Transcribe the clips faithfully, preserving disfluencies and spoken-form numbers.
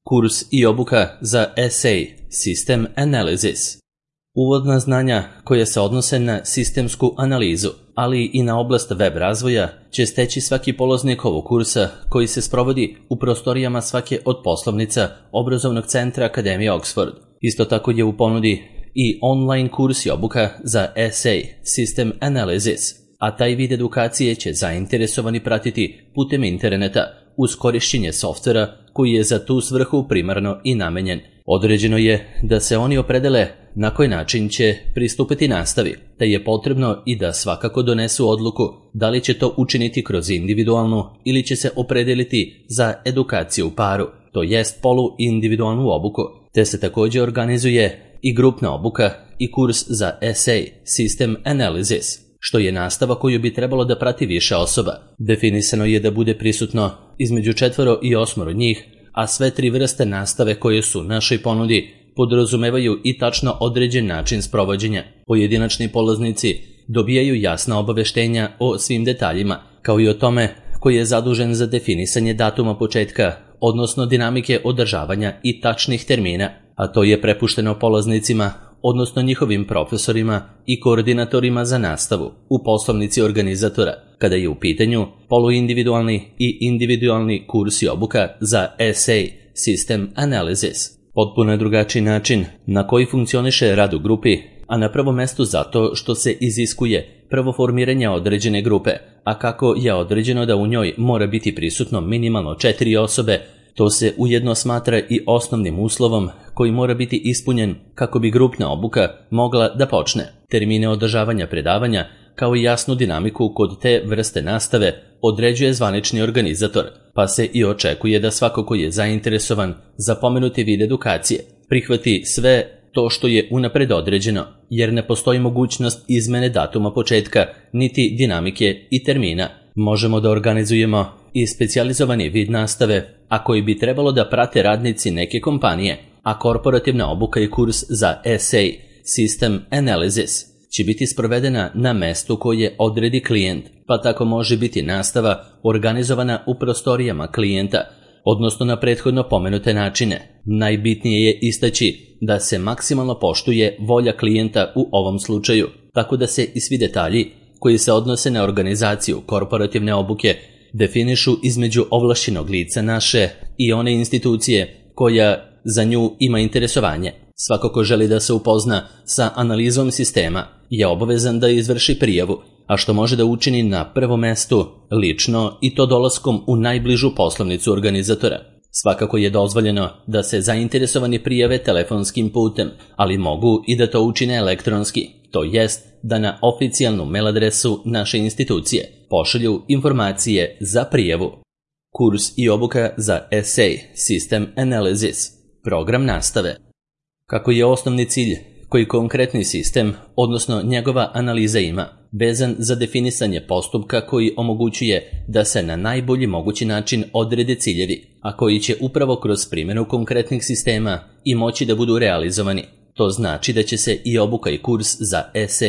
Kurs i obuka za S A System Analysis. Uvodna znanja koja se odnose na sistemsku analizu, ali i na oblast web razvoja, će steći svaki polaznik ovog kursa koji se sprovodi u prostorijama svake od poslovnica obrazovnog centra Akademije Oxford. Isto tako je u ponudi i online kurs i obuka za S A System Analysis, a taj vid edukacije će zainteresovani pratiti putem interneta uz korišćenje softvera koji je za tu svrhu primarno i namenjen. Određeno je da se oni opredele na koji način će pristupiti nastavi, te je potrebno i da svakako donesu odluku da li će to učiniti kroz individualnu ili će se opredeliti za edukaciju u paru, to jest polu-individualnu obuku, te se također organizuje i grupna obuka i kurs za S A System Analysis, što je nastava koju bi trebalo da prati više osoba. Definisano je da bude prisutno između četvoro i osmoro njih, a sve tri vrste nastave koje su našoj ponudi podrazumevaju i tačno određen način sprovođenja. Pojedinačni polaznici dobijaju jasna obaveštenja o svim detaljima, kao i o tome koji je zadužen za definisanje datuma početka, odnosno dinamike održavanja i tačnih termina, a to je prepušteno polaznicima, odnosno njihovim profesorima i koordinatorima za nastavu u poslovnici organizatora, kada je u pitanju poluindividualni i individualni kurs i obuka za S A System Analysis. Potpuno je drugačiji način na koji funkcioniše rad u grupi, a na prvom mestu zato što se iziskuje prvo formiranje određene grupe, a kako je određeno da u njoj mora biti prisutno minimalno četiri osobe, to se ujedno smatra i osnovnim uslovom koji mora biti ispunjen kako bi grupna obuka mogla da počne. Termine održavanja predavanja kao i jasnu dinamiku kod te vrste nastave određuje zvanični organizator, pa se i očekuje da svako ko je zainteresovan za pomenuti vid edukacije prihvati sve to što je unapred određeno, jer ne postoji mogućnost izmene datuma početka niti dinamike i termina. Možemo da organizujemo i specijalizovani vid nastave, a koji bi trebalo da prate radnici neke kompanije, a korporativna obuka i kurs za S A System Analysis će biti sprovedena na mestu koje odredi klijent, pa tako može biti nastava organizovana u prostorijama klijenta, odnosno na prethodno pomenute načine. Najbitnije je istaći da se maksimalno poštuje volja klijenta u ovom slučaju, tako da se i svi detalji koji se odnose na organizaciju korporativne obuke definišu između ovlašćenog lica naše i one institucije koja za nju ima interesovanje. Svako ko želi da se upozna sa analizom sistema je obavezan da izvrši prijavu, a što može da učini na prvom mestu lično i to dolaskom u najbližu poslovnicu organizatora. Svakako je dozvoljeno da se zainteresovani prijave telefonskim putem, ali mogu i da to učine elektronski, to jest da na oficijalnu mail adresu naše institucije pošalju informacije za prijavu. Kurs i obuka za S A System Analysis. Program nastave. Kako je osnovni cilj koji konkretni sistem, odnosno njegova analiza ima, vezan za definisanje postupka koji omogućuje da se na najbolji mogući način odrede ciljevi, a koji će upravo kroz primjenu konkretnih sistema i moći da budu realizovani. To znači da će se i obuka i kurs za S A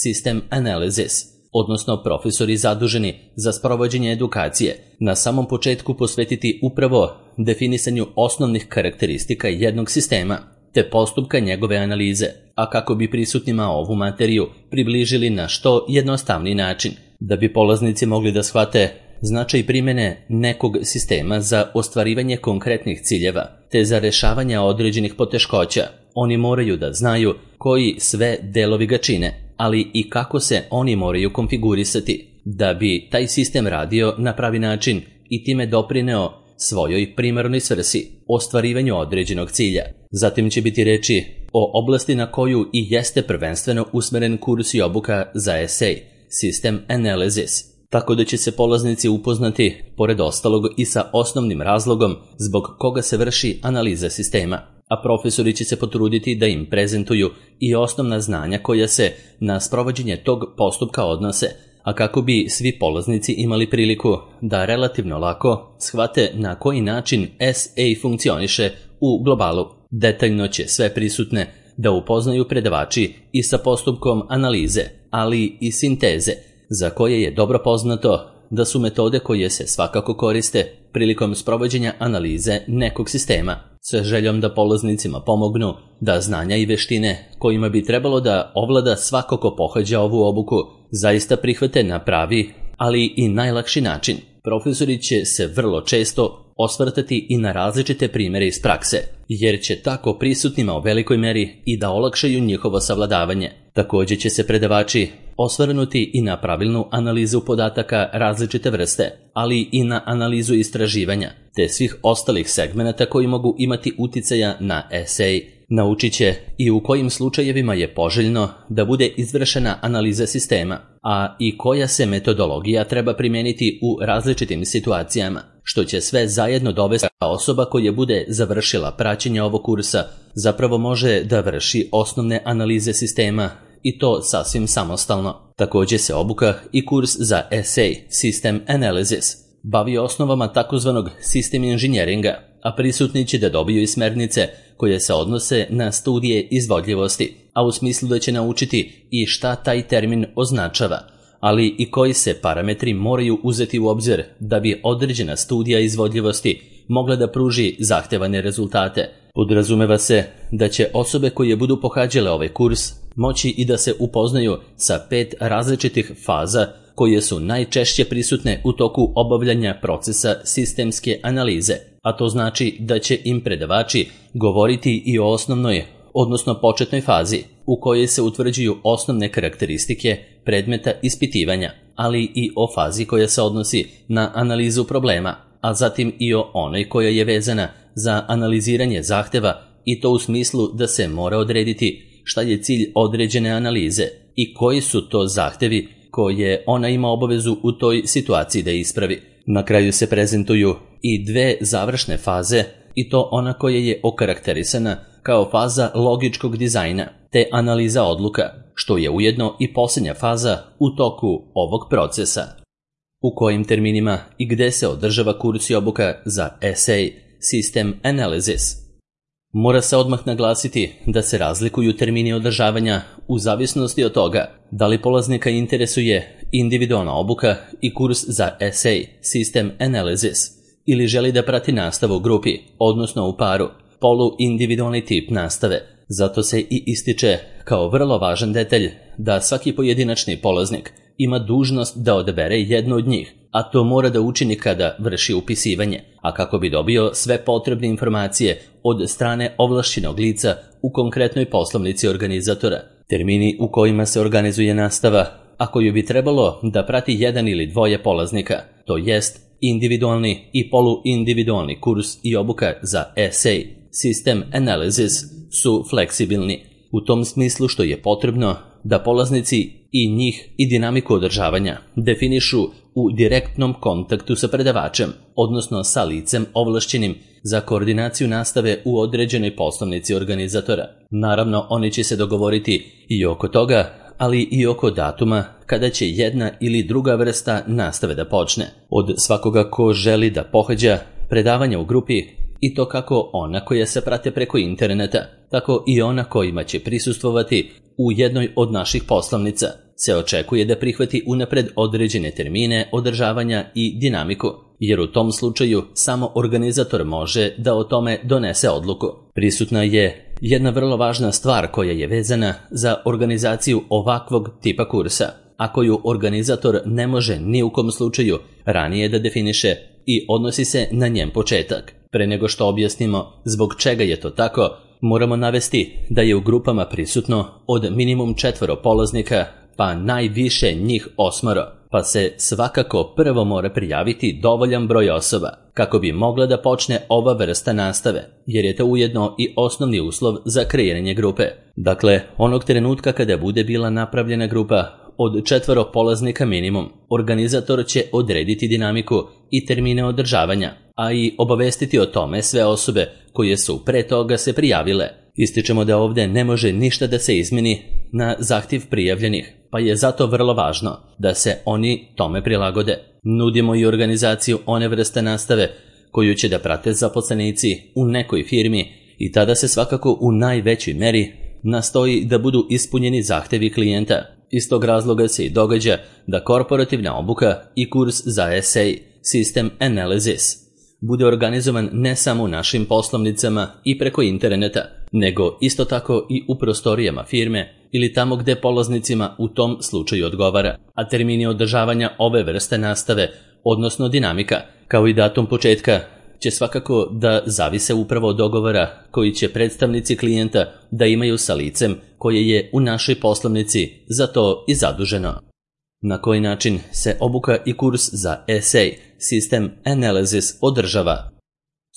System Analysis, odnosno profesori zaduženi za sprovođenje edukacije, na samom početku posvetiti upravo definisanju osnovnih karakteristika jednog sistema, te postupka njegove analize, a kako bi prisutnima ovu materiju približili na što jednostavniji način, da bi polaznici mogli da shvate značaj primjene nekog sistema za ostvarivanje konkretnih ciljeva, te za rešavanje određenih poteškoća. Oni moraju da znaju koji sve delovi ga čine, ali i kako se oni moraju konfigurisati, da bi taj sistem radio na pravi način i time doprineo svojoj primarnoj svrsi, ostvarivanju određenog cilja. Zatim će biti reči o oblasti na koju i jeste prvenstveno usmeren kurs i obuka za S A System Analysis, tako da će se polaznici upoznati, pored ostalog, i sa osnovnim razlogom zbog koga se vrši analiza sistema, a profesori će se potruditi da im prezentuju i osnovna znanja koja se na sprovođenje tog postupka odnose, a kako bi svi polaznici imali priliku da relativno lako shvate na koji način S A funkcioniše u globalu. Detaljno će sve prisutne da upoznaju predavači i sa postupkom analize, ali i sinteze, za koje je dobro poznato da su metode koje se svakako koriste prilikom sprovođenja analize nekog sistema. sa željom da polaznicima pomognu da znanja i veštine kojima bi trebalo da ovlada svako ko pohađa ovu obuku zaista prihvate na pravi, ali i najlakši način. Profesori će se vrlo često osvrtati i na različite primjere iz prakse, jer će tako prisutnima u velikoj meri i da olakšaju njihovo savladavanje. Također će se predavači osvrnuti i na pravilnu analizu podataka različite vrste, ali i na analizu istraživanja, te svih ostalih segmenata koji mogu imati uticaja na esej. Naučit će i u kojim slučajevima je poželjno da bude izvršena analiza sistema, a i koja se metodologija treba primijeniti u različitim situacijama, što će sve zajedno dovesti da osoba koja bude završila praćenje ovog kursa zapravo može da vrši osnovne analize sistema i to sasvim samostalno. Također se obuka i kurs za esej System Analysis bavi osnovama takozvanog sistem inženjeringa, a prisutni će da dobiju i smjernice koje se odnose na studije izvodljivosti, a u smislu da će naučiti i šta taj termin označava, ali i koji se parametri moraju uzeti u obzir da bi određena studija izvodljivosti mogla da pruži zahtevane rezultate. Podrazumeva se da će osobe koje budu pohađale ovaj kurs moći i da se upoznaju sa pet različitih faza koje su najčešće prisutne u toku obavljanja procesa sistemske analize, a to znači da će im predavači govoriti i o osnovnoj, odnosno početnoj fazi, u kojoj se utvrđuju osnovne karakteristike predmeta ispitivanja, ali i o fazi koja se odnosi na analizu problema, a zatim i o onoj koja je vezana za analiziranje zahteva, i to u smislu da se mora odrediti šta je cilj određene analize i koji su to zahtevi koje ona ima obavezu u toj situaciji da ispravi. Na kraju se prezentuju i dve završne faze, i to ona koja je okarakterisana kao faza logičkog dizajna te analiza odluka, što je ujedno i posljednja faza u toku ovog procesa. U kojim terminima i gde se održava kurs i obuka za esej System Analysis? Mora se odmah naglasiti da se razlikuju termini održavanja u zavisnosti od toga da li polaznika interesuje individualna obuka i kurs za esej System Analysis ili želi da prati nastavu u grupi, odnosno u paru, polu-individualni tip nastave. Zato se i ističe kao vrlo važan detalj da svaki pojedinačni polaznik ima dužnost da odabere jednu od njih, a to mora da učini kada vrši upisivanje, a kako bi dobio sve potrebne informacije od strane ovlašćenog lica u konkretnoj poslovnici organizatora. Termini u kojima se organizuje nastava, a koju bi trebalo da prati jedan ili dvoje polaznika, to jest individualni i poluindividualni kurs i obuka za esej System Analysis, su fleksibilni, u tom smislu što je potrebno da polaznici i njih i dinamiku održavanja definišu u direktnom kontaktu sa predavačem, odnosno sa licem ovlašćenim za koordinaciju nastave u određenoj poslovnici organizatora. Naravno, oni će se dogovoriti i oko toga, ali i oko datuma kada će jedna ili druga vrsta nastave da počne. Od svakoga ko želi da pohađa predavanja u grupi, i to kako ona koja se prate preko interneta, tako i ona kojima će prisustvovati u jednoj od naših poslovnica, se očekuje da prihvati unapred određene termine održavanja i dinamiku, jer u tom slučaju samo organizator može da o tome donese odluku. Prisutna je jedna vrlo važna stvar koja je vezana za organizaciju ovakvog tipa kursa, a koju organizator ne može ni u kom slučaju ranije da definiše i odnosi se na njen početak. Pre nego što objasnimo zbog čega je to tako, moramo navesti da je u grupama prisutno od minimum četvoro polaznika, pa najviše njih osmoro, pa se svakako prvo mora prijaviti dovoljan broj osoba kako bi mogla da počne ova vrsta nastave, jer je to ujedno i osnovni uslov za kreiranje grupe. Dakle, onog trenutka kada bude bila napravljena grupa od četvoro polaznika minimum, organizator će odrediti dinamiku i termine održavanja, a i obavestiti o tome sve osobe koje su pre toga se prijavile. Ističemo da ovdje ne može ništa da se izmeni na zahtjev prijavljenih, pa je zato vrlo važno da se oni tome prilagode. Nudimo i organizaciju one vrste nastave koju će da prate zaposlenici u nekoj firmi i tada se svakako u najvećoj meri nastoji da budu ispunjeni zahtjevi klijenta. Iz tog razloga se i događa da korporativna obuka i kurs za esej System Analysis bude organizovan ne samo u našim poslovnicama i preko interneta, nego isto tako i u prostorijama firme ili tamo gde polaznicima u tom slučaju odgovara, a termini održavanja ove vrste nastave, odnosno dinamika, kao i datum početka, će svakako da zavise upravo od dogovora koji će predstavnici klijenta da imaju sa licem koje je u našoj poslovnici za to i zaduženo. Na koji način se obuka i kurs za S A System Analysis održava?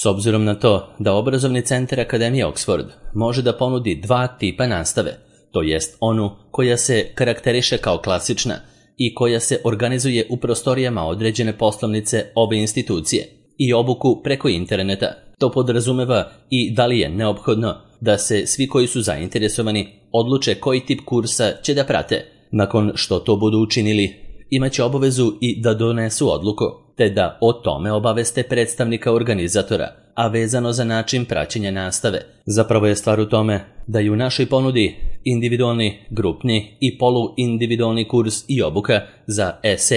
S obzirom na to da obrazovni centar Akademije Oxford može da ponudi dva tipa nastave, to jest onu koja se karakteriše kao klasična i koja se organizuje u prostorijama određene poslovnice ove institucije, i obuku preko interneta. To podrazumeva i da li je neophodno da se svi koji su zainteresovani odluče koji tip kursa će da prate. Nakon što to budu učinili, imaće obavezu i da donesu odluku, te da o tome obaveste predstavnika organizatora, a vezano za način praćenja nastave. Zapravo je stvar u tome da je u našoj ponudi individualni, grupni i poluindividualni kurs i obuka za S A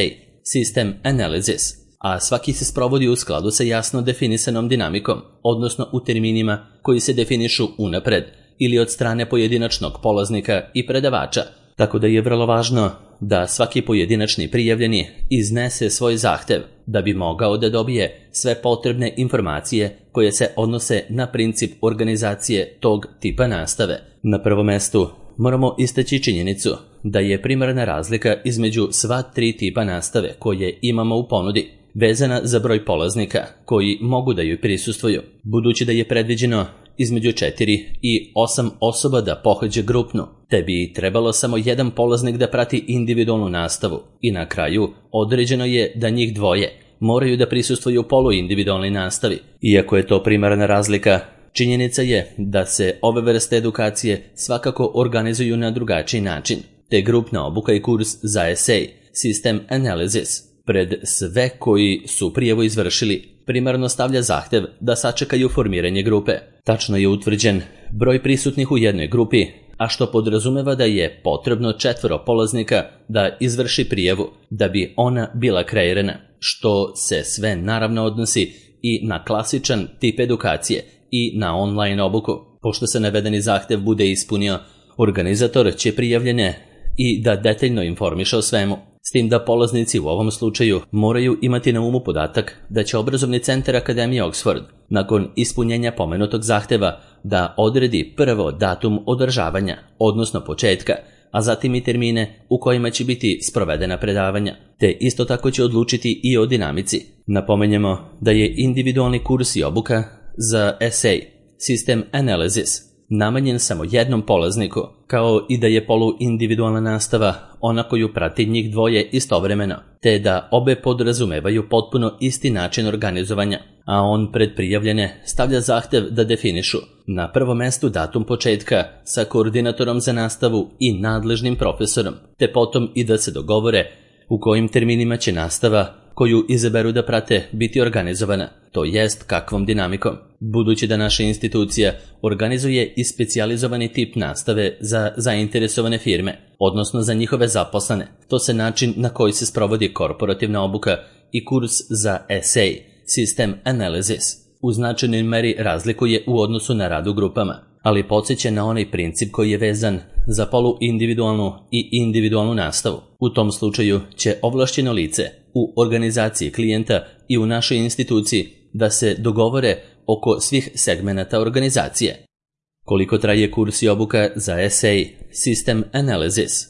System Analysis, a svaki se sprovodi u skladu sa jasno definisanom dinamikom, odnosno u terminima koji se definišu unapred ili od strane pojedinačnog polaznika i predavača, tako da je vrlo važno da svaki pojedinačni prijavljeni iznese svoj zahtev da bi mogao da dobije sve potrebne informacije koje se odnose na princip organizacije tog tipa nastave. Na prvom mestu moramo istaći činjenicu da je primarna razlika između sva tri tipa nastave koje imamo u ponudi vezana za broj polaznika koji mogu da joj prisustvuju, budući da je predviđeno između četiri i osam osoba da pohađe grupnu, te bi trebalo samo jedan polaznik da prati individualnu nastavu i na kraju određeno je da njih dvoje moraju da prisustvuju poluindividualnoj nastavi. Iako je to primarna razlika, činjenica je da se ove vrste edukacije svakako organizuju na drugačiji način, te grupna obuka i kurs za S A System Analysis pred sve koji su prijavu izvršili primarno stavlja zahtev da sačekaju formiranje grupe. Tačno je utvrđen broj prisutnih u jednoj grupi, a što podrazumeva da je potrebno četvoro polaznika da izvrši prijavu da bi ona bila kreirana, što se sve naravno odnosi i na klasičan tip edukacije i na online obuku. Pošto se navedeni zahtev bude ispunio, organizator će prijavljene i da detaljno informiše o svemu, s tim da polaznici u ovom slučaju moraju imati na umu podatak da će obrazovni centar Akademije Oxford nakon ispunjenja pomenutog zahteva da odredi prvo datum održavanja, odnosno početka, a zatim i termine u kojima će biti sprovedena predavanja, te isto tako će odlučiti i o dinamici. Napomenjemo da je individualni kurs i obuka za S A System Analysis namenjen samo jednom polazniku, kao i da je poluindividualna nastava ona koju prati njih dvoje istovremeno, te da obe podrazumevaju potpuno isti način organizovanja, a on pred prijavljene stavlja zahtev da definišu na prvom mestu datum početka sa koordinatorom za nastavu i nadležnim profesorom, te potom i da se dogovore u kojim terminima će nastava koju izaberu da prate biti organizovana, to jest kakvom dinamikom. Budući da naša institucija organizuje i specijalizovani tip nastave za zainteresovane firme, odnosno za njihove zaposlene, to se način na koji se sprovodi korporativna obuka i kurs za S A System Analysis u značajnoj meri razlikuje u odnosu na rad u grupama, ali podsjeća na onaj princip koji je vezan za poluindividualnu i individualnu nastavu. U tom slučaju će ovlašćeno lice u organizaciji klijenta i u našoj instituciji da se dogovore oko svih segmenata organizacije. Koliko traje kurs i obuka za S A System Analysis?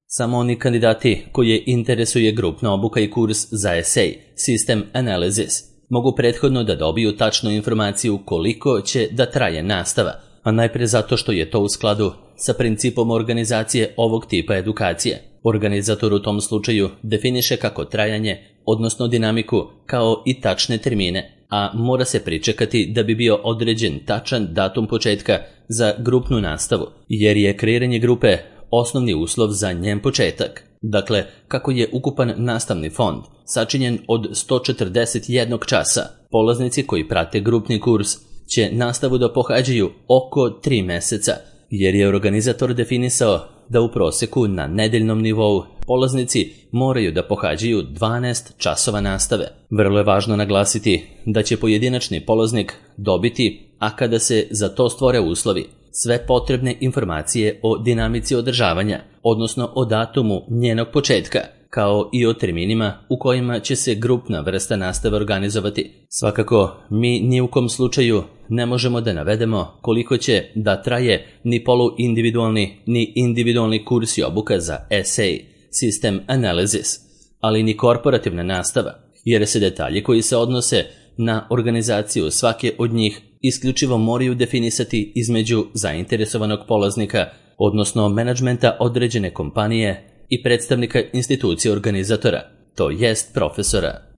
Samo oni kandidati koje interesuje grupna obuka i kurs za S A System Analysis mogu prethodno da dobiju tačnu informaciju koliko će da traje nastava, a najpre zato što je to u skladu sa principom organizacije ovog tipa edukacije. Organizator u tom slučaju definiše kako trajanje, odnosno dinamiku, kao i tačne termine, a mora se pričekati da bi bio određen tačan datum početka za grupnu nastavu, jer je kreiranje grupe osnovni uslov za njen početak. Dakle, kako je ukupan nastavni fond sačinjen od sto četrdeset jednog časa, polaznici koji prate grupni kurs će nastavu da pohađaju oko tri meseca, jer je organizator definisao da u proseku na nedeljnom nivou polaznici moraju da pohađaju dvanaest časova nastave. Vrlo je važno naglasiti da će pojedinačni polaznik dobiti, a kada se za to stvore uslovi, sve potrebne informacije o dinamici održavanja, odnosno o datumu njenog početka, kao i o terminima u kojima će se grupna vrsta nastave organizovati. Svakako, mi ni u kom slučaju ne možemo da navedemo koliko će da traje ni poluindividualni ni individualni kurs i obuka za S A, System Analysis, ali ni korporativna nastava, jer se detalji koji se odnose na organizaciju svake od njih isključivo moraju definisati između zainteresovanog polaznika, odnosno menadžmenta određene kompanije i predstavnika institucije organizatora, to jest profesora.